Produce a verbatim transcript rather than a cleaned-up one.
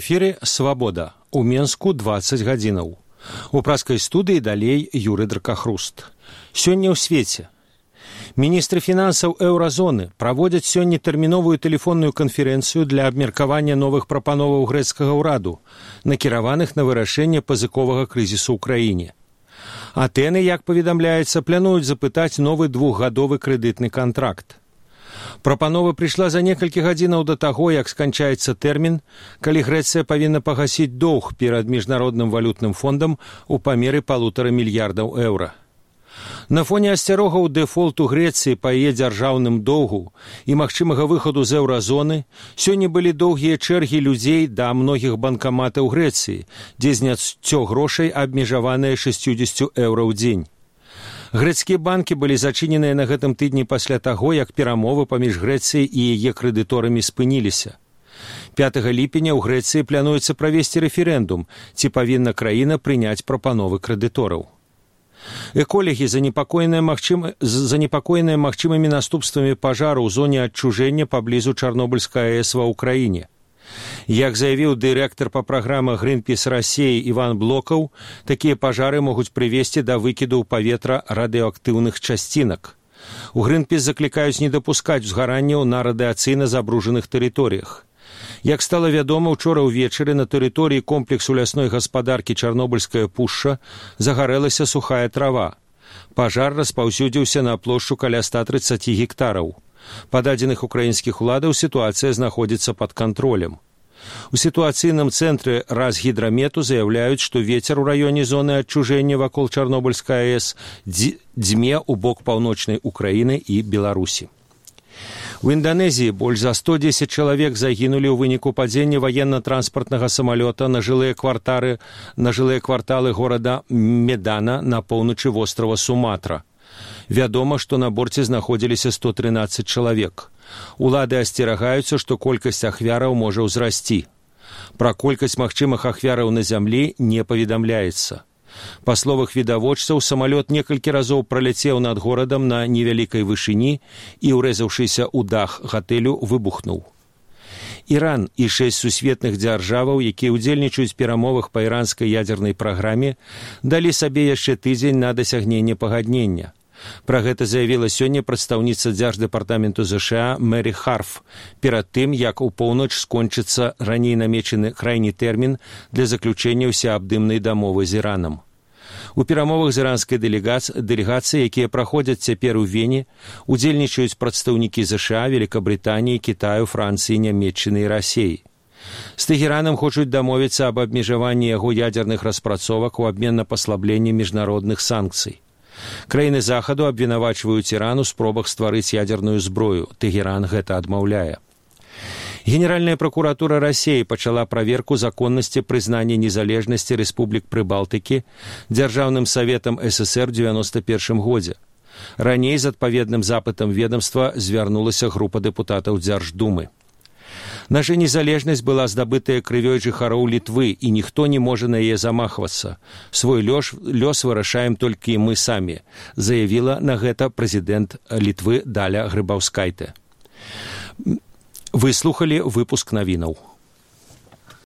эфіры «Свабода». У Менску дваццаць гадзінаў. У праскай студыі далей Юры Дракахруст. Сёння ў свеце. Міністры фінансаў еўразоны праводзяць сёння тэрміновую тэлефонную канферэнцыю для абмеркавання новых прапановаў грэцкага ўраду, накіраваных на вырашэнне пазыковага крызісу ў краіне. Атэны, як паведамляецца, плануюць запытаць новы двухгадовы крэдытны кантракт. Прапанова прыйшла за некалькі гадзінаў да таго, як сканчаецца тэрмін, калі Грэцыя павінна пагасіць доўг перад міжнародным валютным фондам у памеры палутара мільярдаў еўра. На фоне асцярогаў дэфолту Грэцыі па яе дзяржаўным доўгу і магчымага выхаду з еўразоны сёння былі доўгія чэргі людзей да многіх банкаматаў Грэцыі, дзе зняццё грошай абмежаванае шэсцьдзесят еўра ў дзень. Грэцкія банкі былі зачыненыя на гэтым тыдні пасля таго, як перамовы паміж Грэцыяй і яе крэдыторамі спыніліся. пятага ліпеня ў Грэцыі плануецца правесці рэферэндум, ці павінна краіна прыняць прапановы крэдытораў. Эколагі занепакоеныя магчым... занепакоеныя магчымымі наступствамі пажару ў зоне адчужэння паблізу Чарнобыльскай АЭС ва ўкраіне. Як заявіў дырэктар па праграмах Greenpeace Расіі Іван Блокаў, такія пажары могуць прывесці да выкіду ў паветра радыеактыўных часцінак. У Greenpeace заклікаюць не дапускаць узгаранняў на радыацыйна забружаных тэрыторыях. Як стала вядома, учора ўвечары на тэрыторыі комплексу лясной гаспадаркі Чарнобыльская пушча загарэлася сухая трава. Пажар распаўсюдзіўся на плошчу каля ста трыццаці гектараў. Па дадзеных украінскіх уладаў сітуацыя знаходзіцца пад кантролем. У сітуацыйным цэнтры Разгідрамету заяўляюць, што вецер у раёне зоны адчужэння вакол Чарнобыльскай АЭС дзьме ў бок паўночнай Украіны і Беларусі. У Інданезіі больш за сто дзесяць чалавек загінулі ў выніку падзення ваенна-транспартнага самалёта на жылыя квартары, на жылыя кварталы горада Медана на поўначы вострава Суматра. Вядома, што на борце знаходзіліся сто трынаццаць чалавек. Улады асцерагаюцца, што колькасць ахвяраў можа ўзрасці. Пра колькасць магчымых ахвяраў на зямлі не паведамляецца. Па словах відавочцаў, самалёт некалькі разоў праляцеў над горадам на невялікай вышыні і, урэзаўшыся ў дах гатэлю, выбухнуў. Іран і шэсць сусветных дзяржаваў, якія ўдзельнічаюць у перамовах па іранскай ядзернай праграме, далі сабе яшчэ тыдзень на дасягненне пагаднення. Пра гэта заявіла сёння прадстаўніца дзярждэпартаменту ЗША Мэри Харф, перад тым, як у поўнач скончыцца раней намечаны крайні тэрмін для заключэння ўсеабдымнай дамовы з Іранам. У перамовах з іранскай дэлегацыяй, якія праходзяць цяпер у Вене, удзельнічаюць прадстаўнікі ЗША, Великабрытаніі, Кітаю, Францыі, Нямецчыны і Расіі. З Тэхеранам хочуць дамовіцца аб абмежаванні яго ядзерных распрацовак у абмен на паслабленне міжнародных санкцый. Краіны захаду абвінавачваюць Іран у спробах стварыць ядзерную зброю. Тэхеран гэта адмаўляе. Генеральная пракуратура Расіі пачала праверку законнасці прызнання незалежнасці рэспублік Прыбалтыкі Дзяржаўным саветам ССР у дзевяноста першым годзе. Раней з адпаведным запытам ведомства звярнулася група дэпутатаў Дзярждумы. Наша незалежнасць была здабытая крывёй жыхароў Літвы, і ніхто не можа на яе замахвацца. Свой лёс, лёс вырашаем толькі мы самі, заявіла на гэта прэзідэнт Літвы Даля Грыбаўскайте. Вы слухалі выпуск навінаў.